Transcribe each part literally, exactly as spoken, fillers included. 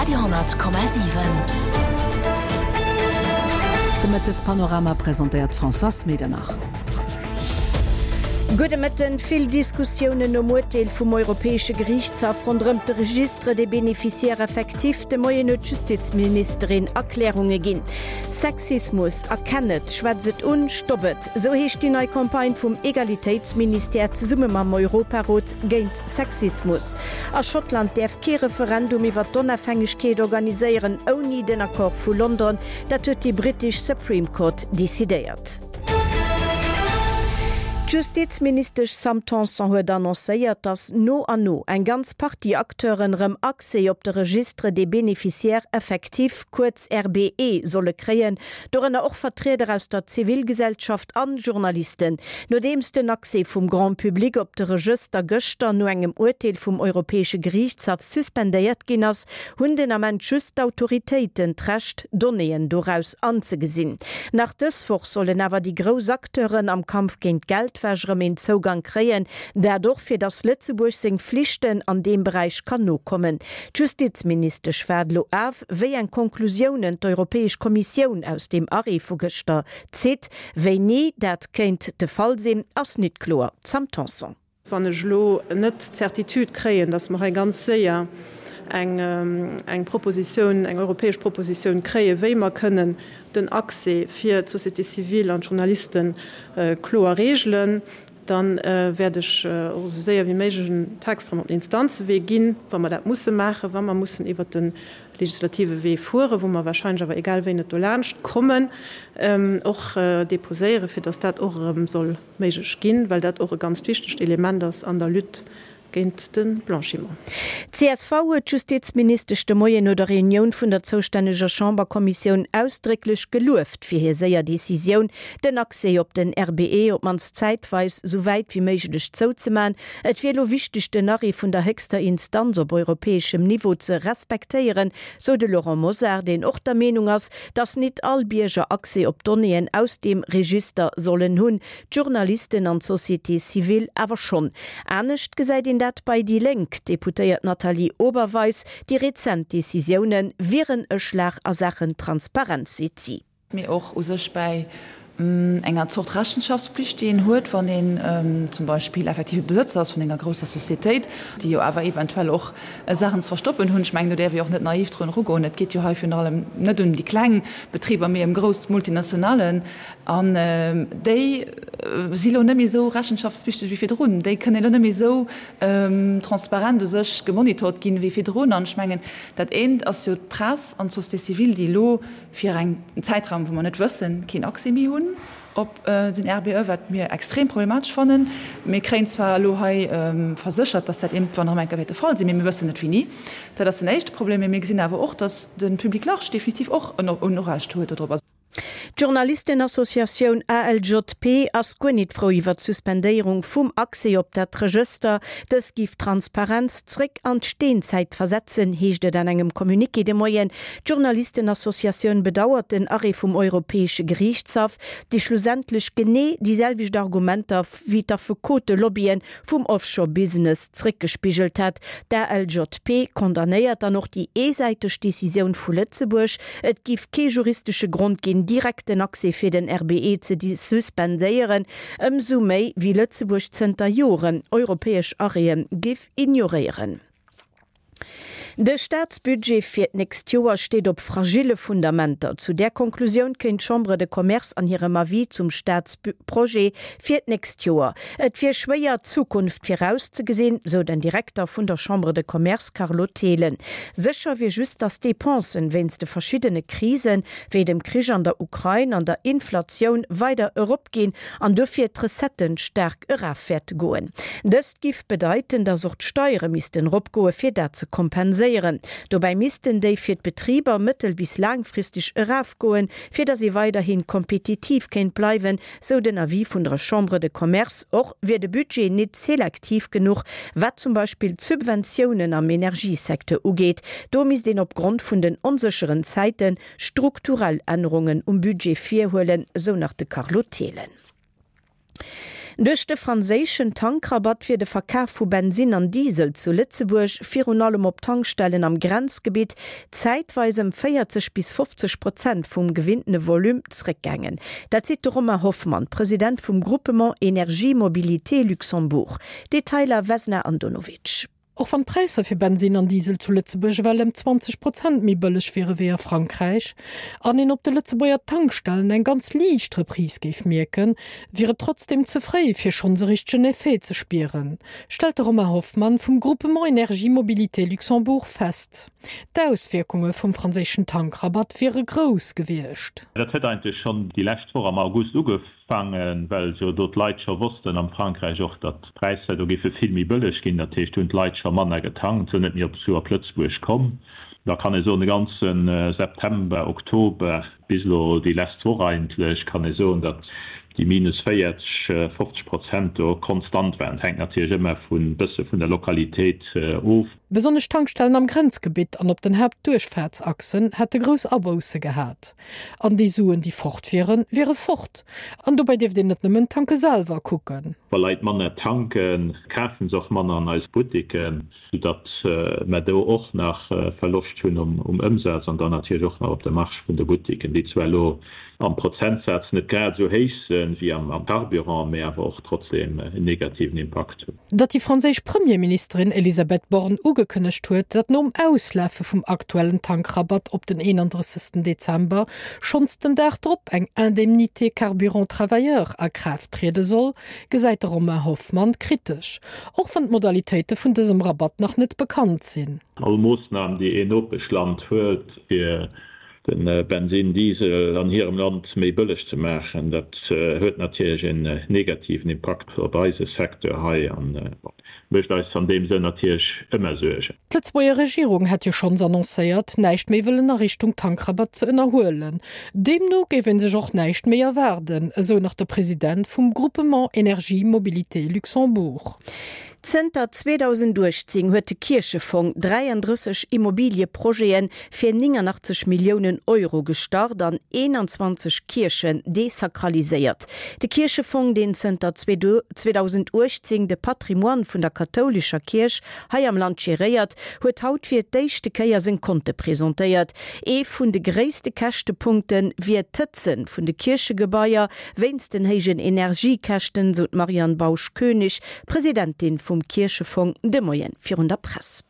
Radio honnert Komma siwen. De Mëttespanorama presentéiert d'Françoise Medernach. Gudde Mëtten. Vill Diskussiounen nom Urteel vum Europäesche Geriichtshaff ronderëm de Registre des bénéficiaires effectifs. De Moien huet d'Justizministerin Erklärunge ginn. Sexismus, erkenn et, schwätz et un, stopp et! Esou heescht déi nei Campagne vum Egalitéitsministère zesumme mam Europarot géint Sexismus. A Schottland däerf kee Referendum iwwer d'Onafhängegkeet organiséieren ouni den Accord vu London. Dat huet déi brittesch Supreme Court decidéiert. D'Justizministesch Sam Tanson huet annoncéiert, datt no an no eng ganz Partie Acteuren erëm Accès op de Registre des bénéficiaires effectifs, kuerz R B E, solle kréien, dorënner och Vertrieder aus der Zivilgesellschaft an Journalisten. Nodeems den Accès vum Grand Public op de Regëster gëschter no engem Urteel vum Europäesche Geriichtshaff suspendéiert ginn ass, hunn den Ament just d'Autoritéiten d'Recht, Donnéeën doraus anzegesinn. Nach dës Woch sollen awer déi grouss Acteuren am Kampf géint Geldwäsch erëm een Zougang kréien, dat och fir datt Lëtzebuerg seng Flichten an deem Beräich kann nokommen. D'Justizministesch waart elo of, wéi eng Konklusiounen d'Europäesch Kommissioun aus deem Arrêt vu gëschter zitt. Wéini dat kéint de Fall sinn, ass net kloer. Sam Tanson. Wann ech elo net d'Certitude kréien, datt mer hei ganz séier eng eng Propositioun, eng europäesch Propositioun kréien, wéi mer kënnen den Accès fir d'Société civile an d'Journaliste kloer regelen, da wäert ech och esou séier wéi méiglech en Text erëm op den Instanzewee ginn, wa mer dat musse maachen, wa mer mussen iwwert de legislative Wee fueren, wou mer wahrscheinlech awer egal wéi net dolaanscht kommen, och deposéieren, fir datt dat och erëm soll méiglech ginn, well dat och e ganzt wichtegt Element ass an der Lutte géint de Blanchiment. D C S V huet d'Justizministesch de Moien no der Reunioun vun der zoustänneger Chamberkommissioun ausdrécklech gelueft fir hir séier Decisioun, den Accès op den R B E op d'mannst zäitweis sou wäit wéi méiglech zouzeman. Et wier elo wichteg, den Arrêt vun der héchster Instanz op europäeschem Niveau ze respektéieren, sou de Laurent Mosar, deen och der Meenung ass, datt net all Bierger Accès op Donnéeën aus deem Register sollen hunn, d'Journalisten an d'Société civile awer schonn. Anescht gesäit een dat bei déi Lénk. D'Deputéiert Nathalie Oberweis, déi rezent Decisioune wieren e Schlag a Saachen Transparenz, seet si. Mee och u sech bäi enger Zort Rechenschaftspflicht, déi een huet, wann een zum Beispill effektive Besëtzer ass vun enger grousser Societéit, déi jo awer eventuell och Saachen ze verstoppen hunn. Ech mengen, do däerf ee och net naiv drun erugoen. Et geet jo hei virun allem net ëm déi kleng Betriber, mee ëm grouss Multinationalen. An déi si lo net méi esou rechenschaftspflichteg wéi virdrun. Déi kënnen elo net méi esou transparent u sech gemonitort ginn wéi virdrun. An ech mengen, dat eent ass jo d'Press an d'Société civile, déi elo fir en Zäitraum, wou mer net wëssen, keen Accès méi hunn op den R B E, wat mir extrem problematesch fannen. Mir kréien zwar elo hei verséchert, dass dat iergendwann erëm eng Kéier wäert de Fall sinn, mee mir wëssen net wéini. Dat ass den éischte Problem. Mee mir gesinn awer och, dass de Public large definitiv och en Urecht huet dodrop. D'Journalistenassociatioun A L J P ass guer nit frou iwwer d'Suspendéierung vum Accès op dat Regëster. Dës giff d'Transparenz zréck an d'Steenzäit versetzen, heescht et an engem Communiqué de Moien. D'Journalistenassociatioun bedauert den Arrêt vum Europäesche Geriichtshaff, dee schlussendlech genee déi selwecht Argumenter wéi d'Affekotelobbyen vum Offshore-Business zréckgespigelt hat. D' A L J P condamnéiert dann och déi eesäiteg Decisioun vu Lëtzebuerg. Et giff kee juristesche Grond ginn, direkt den Accès fir den R B E ze suspendéieren, ëmsou méi wéi Lëtzebuerg zënter Joren europäesch Arrêten giff ignoréieren. De Staatsbudget fir d'nächst Joer steet op fragile Fundamenter. Zu där Konklusioun kënnt d'Chambre de Commerce an hirem Avis zum Staatsprojet fir d'nächst Joer. Et wier schwéier, d'Zukunft virauszegesinn, sou den Direkter vun der Chambre de Commerce Carlo Thelen. Sécher wier just, datt d'Depensen wéinst de verschiddene Krisen, wéi dem Krich an der Ukrain an der Inflatioun weider eropginn an dofir d'Recetten staark eraf wäerte goen. Dëst giff bedeiten, datt och d'Steiere missten eropgoe fir dat ze kompenséieren. Dobäi missten déi fir d'Betriber mëttel- bis laangfristeg erafgoen, fir datt si weiderhi kompetitiv kéint bleiwen, sou den Avis vun der Chambre de Commerce. Och wier de Budget net selektiv genuch, wat zum Beispill d'Subventiounen am Energiesecteur ugeet. Do misst een opgrond vun den onsécheren Zäite strukturell Ännerungen um Budget virhuelen, sou nach de Carlo Thelen. Duerch de franséischen Tankrabatt wier de Verkaf vu Bensinn an Diesel zu Lëtzebuerg, virun allem op Tankstellen am Grenzgebitt, zäitweis ëm véierzeg bis fofzeg Prozent vum gewinntene Volume zréckgaangen. Dat seet de Romain Hoffmann, President vum Groupement Energie Mobilité Luxembourg. Detailer Vesna Andonovic. Och wann d'Präisser fir Bensinn an Diesel zu Lëtzebuerg ewell ëm zwanzeg Prozent méi bëlleg wiere wéi a Frankräich, an een op de Lëtzebuerger Tankstellen eng ganz liicht Reprise géif mierken, wier et trotzdeem ze fréi fir schonns e richtegen Effet ze spieren, stellt de Romain Hoffmann vum Groupement Energie Mobilité Luxembourg fest. D'Auswierkunge vum franséischen Tankrabatt wiere grouss gewiescht. Dat huet eigentlech schonn déi lescht Woch am August ugefaangen, well jo do d'Leit scho wossten, am Frankräich och, datt d'Präisser do géife vill méi bëlleg ginn. Dat heescht, do hunn d'Leit scho manner getankt, sinn net méi op zu op Lëtzebuerg komm. Da kann ee soen, de ganze September, Oktober bis elo déi lescht Woch eigentlech, kann ee soen, datt déi minus véierzeg, fofzeg Prozent do konstant waren. Et hänkt natierlech ëmmer vun bësse vun der Lokalitéit of. Besonnesch Tankstellen am Grenzgebitt an op den Haaptduerchfaartsachsen hätte grouss Abousse gehat. An déi Suen, déi fort wieren, wiere fort. An dobäi dierft een net nëmmen d'Tanke selwer kucken. Wa Leit manner tanken, kafe se och manner an eis Buttiken, soudatt mer do och nach Verloscht hunn um Ëmsaz an dann natierlech och nach op der Marge vun de Buttiken, déi zwar elo am Prozentsaz net grad esou héich sinn wéi am Carburant, mee awer och trotzdeem en negativen Impakt hunn. Datt déi franséisch Premierministerin Elisabeth Borne ugekënnegt huet, datt nom Auslafe vum aktuellen Tankrabatt op den eenandrëssegsten Dezember schonns den Dag drop eng Indemnité carburant travailleur a Kraaft triede soll, gesäit de Romain Hoffmann kritesch, och wann d'Modalitéite vun dësem Rabatt nach net bekannt sinn. All Moossnam, déi een Nopeschland huelt, fir de Bensinn, Diesel an hirem Land méi bëlleg ze maachen, dat huet natierlech en negativen Impakt op eise Secteur hei a mécht eis an deem Sënn natierlech ëmmer Suergen. D'Lëtzebuerger Regierung hätt jo schonns annoncéiert, näischt méi wëllen a Richtung Tankrabatt ze ënnerhuelen. Deemno géif ee sech och näischt méi erwaarden, esou nach de President vum Groupement Energie Mobilité Luxembourg. Zënter zweedausenduechtzéng huet de Kierchefong dräiandrësseg Immobilieprojete fir néngannachtzeg Milliounen Euro gestart an eenanzwanzeg Kierchen desakraliséiert. De Kierchefong, deen zënter zweedausenduechtzéng de Patrimoine vun der kathoulescher Kierch hei am Land geréiert, huet haut fir d'éischte Kéier seng Konte presentéiert. Ee vun de gréisste Käschtepunkte wier d'Hëtze vun de Kierchegebaier wéinst den héijen Energiekäschten, sou d'Marianne Bausch-Koenig, Presidentin vum Kierchefong, de Moien virun der Press.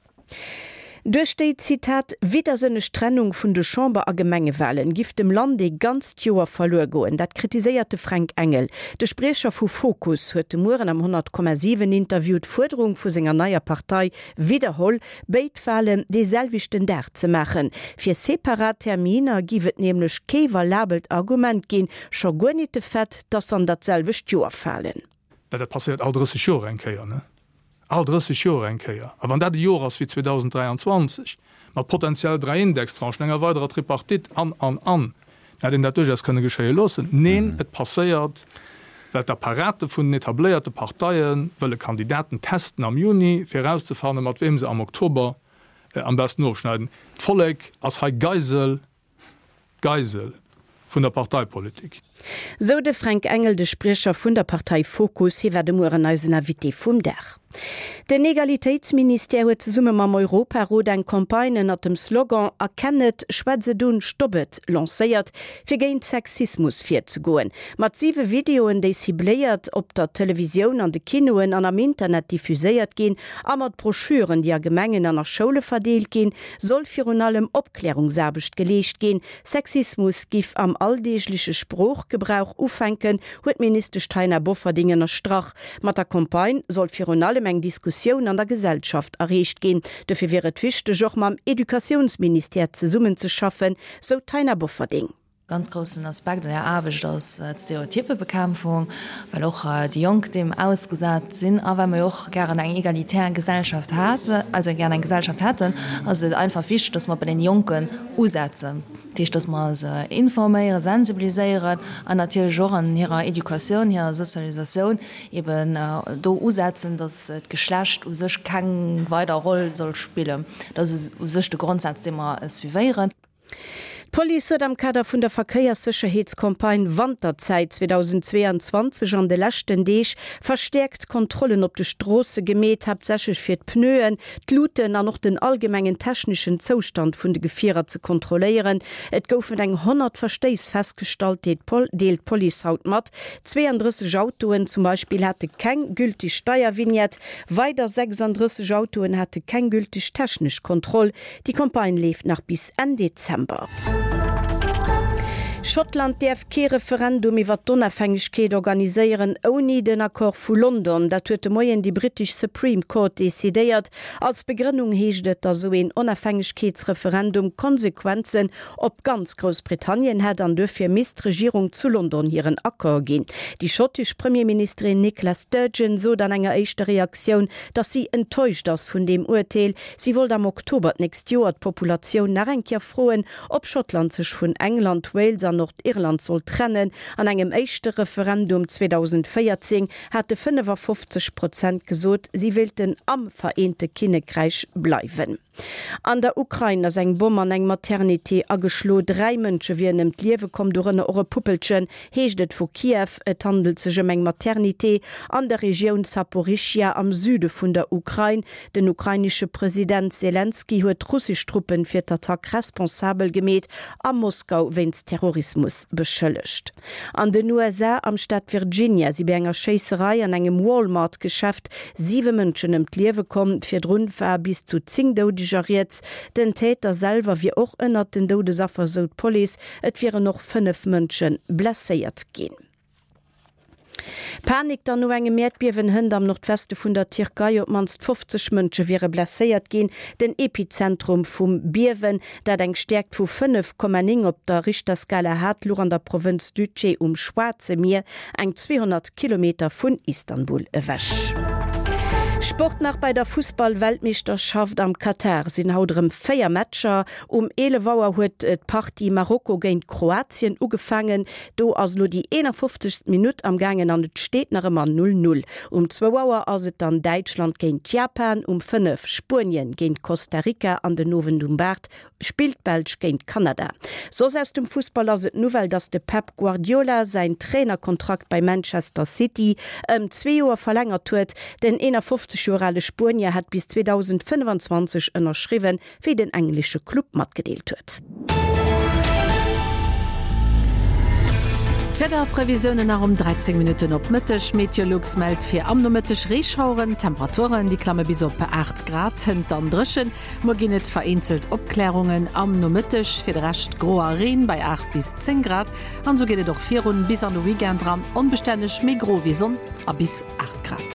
Duerch déi, Zitat, widdersënneg Trennung vun de Chamber a Gemengewalen giff dem Land ee ganzt Joer verluer goen. Dat kritiséiert de Fränk Engel. De Spriecher vu Fokus huet de Mueren am honnert Komma siwen Interview d'Fuerderung vu senger neier Partei widderholl, béid Walen dee selwechten Dag ze maachen. Fir separat Terminer giff et nämlech kee valabelt Argument ginn, scho guer nit de Fait, dass se an dat selwecht Joer falen. Well dat passéiert all drësseg Joer eng Kéier, ne? All drësseg Joer eng Kéier. A wann dat e Joer ass wéi zweedausenddräianzwanzeg, mat potenziell dräi Indextranchen, enger weiderer Tripartite an, an, an, da hätt een dat duerchaus kënne geschéie loossen. Neen, et passéiert, well d'Apparate vun den etabléierte Parteie wëlle Kandidaten testen am Juni, fir erauszefannen, mat weem se am Oktober am besten ofschneiden. D'Vollek ass hei Geisel, Geisel vun der Parteipolitik. Sou de Fränk Engel, de Spriecher vun der Partei Fokus. Hie war de Mueren eisen Invité vum Dag. Den Egalitéitsministère huet zesumme mam Europarot eng Campagne ënnert dem Slogan Erkenn et, schwätz et un, stopp et lancéiert, fir géint Sexismus virzegoen. Mat siwe Videoen, déi cibléiert op der Televisioun, an de Kinoen an am Internet diffuséiert ginn, a mat Broschüren, déi a Gemengen an a Schoule verdeelt ginn, soll virun allem Opklärungsaarbecht geleescht ginn. Sexismus giff am alldeegleche Sproochgebrauch ufänken, huet d'Ministesch Taina Bofferding ënnerstrach. Mat der Campagne soll virun allem eng Diskussioun an der Gesellschaft erreecht ginn. Dofir wier et wichteg, och mam Educatiounsministère zesummenzeschaffen, sou d'Taina Bofferding. Ganz groussen Aspekt an der Aarbecht ass d'Stereotypebekämpfung, well och déi Jonk deem ausgesat sinn. A well mer jo och gären eng egalitär Gesellschaft hat, also gären eng Gesellschaft hätten, ass et einfach wichteg, dass mer bei den Jonken usetzen. Dat heescht, dass mer se informéieren, sensibiliséieren an natierlech och an hirer Educatioun, hirer Sozialisatioun eben do usetzen, dass d'Geschlecht u sech keng weider Roll soll spillen. Dat ass u sech de Grondsaz, dee mer suivéieren. D'Police huet am Kader vun der Verkéierssécherheetscampagne Wanterzäit zweedausendzweeanzwanzeg an de leschten Deeg verstäerkt Kontrollen op de Stroosse gemeet, haaptsächlech fir d'Pneuen, d'Luten an och den allgemengen techneschen Zoustand vun de Gefierer ze kontrolléieren. Et goufen eng honnert Verstéiss festgestallt, deelt d'Police haut mat. Zweeëndrësseg Autoen zum Beispill hate keng gültig Steiervignette, weider sechsandrësseg Autoen hate keng gültig technesch Kontroll. Déi Campagne leeft nach bis Enn Dezember. Schottland däerf kee Referendum iwwer d'Onafhängegkeet organiséieren ouni den Accord vu London. Dat huet de Moien déi brittesch Supreme Court decidéiert. Als Begrënnung heescht et, datt esou een Onafhängegkeetsreferendum Konsequenzen op ganz Groussbritannien hätt an duerfir misst d'Regierung zu London hiren Accord ginn. Déi schottesch Premierministerin Nicola Sturgeon sot an enger éischter Reaktioun, datt si enttäuscht ass vun deem Urteel. Si wollt am Oktober d'nächst Joer d'Populatioun nach eng Kéier froen, ob Schottland sech vun England, Wales an Nordirland soll trennen. An engem éischte Referendum zweedausendvéierzéng hate fënnefafofzeg Prozent gesot, si wéilten am Vereente Kinnekräich bleiwen. An der Ukrain ass eng Bomm an eng Maternité ageschlo. Dräi Mënsche wieren ëm d'Liewe komm, dorënner och e Puppelchen, heescht et vu Kiew. Et handelt sech ëm eng Maternité an der Regioun Saporischschja am Süde vun der Ukrain. Den ukrainesche President Selenskyj huet russesch Truppen fir d'Attack responsabel gemeet a Moskau wéinst Terrorismus beschëllegt. An den U S A am Staat Virginia si bei enger Schéisserei an engem Walmart-Geschäft siwe Mënschen ëm d'Liewe komm. Virdrun war bis zu zéng Doudeger rieds. Den Täter selwer wier och ënnert den Doudesaffer, sou d'Police. Et wieren och fënnef Mënsche blesséiert ginn. Panik dann no engem Äerdbiewen hënt am Nordweste vun der Tierkei, op d'mannst fofzeg Mënsche wiere blesséiert ginn. Den Epizentrum vum Biewen, dat eng Stäerkt vu fënnef Komma néng op der Richterskala hat, louch an der Provënz Düzce um Schwaarze Mier, eng zweehonnert Kilometer vun Istanbul ewech. Sport nach Bei der Fussball-Weltmeeschterschaft am Katar sinn haut erëm véier Matcher. Um eelef Auer huet d'Partie Marokko géint Kroatien ugefaangen. Do ass elo déi eenafofzegst Minutt am gaangen an et steet nach ëmmer null null. Um zwou Auer ass et dann Däitschland géint Japan, um fënnef Spuenien géint Costa Rica an den Owend um aacht spillt d'Belsch géint Kanada. Soss aus dem Fussball ass et d'Nouvelle, dass de Pep Guardiola säin Trainerkontrakt bei Manchester City ëm zwee Joer verlängert huet. Den eenafofzeg Joer ale Spuenier hat bis zweedausendfënnefanzwanzeg ënnerschriwwen, wéi den englesche Club matgedeelt huet. D'Wiederprevisiounen nach um dräizéng Minutten op Mëtteg, Meteolux mellt fir am Nomëtteg Reeschaueren, Temperaturen déi klamme bis op aacht Grad, hënt dann dréchen. Muer ginn et vereenzelt Opklärungen am Nomëtteg, fir de Rescht gro a Reen bei aacht bis zéng Grad. An esou geet et och virun bis an de Weekend ran, onbestänneg, méi gro wéi Sonn a bis aacht Grad.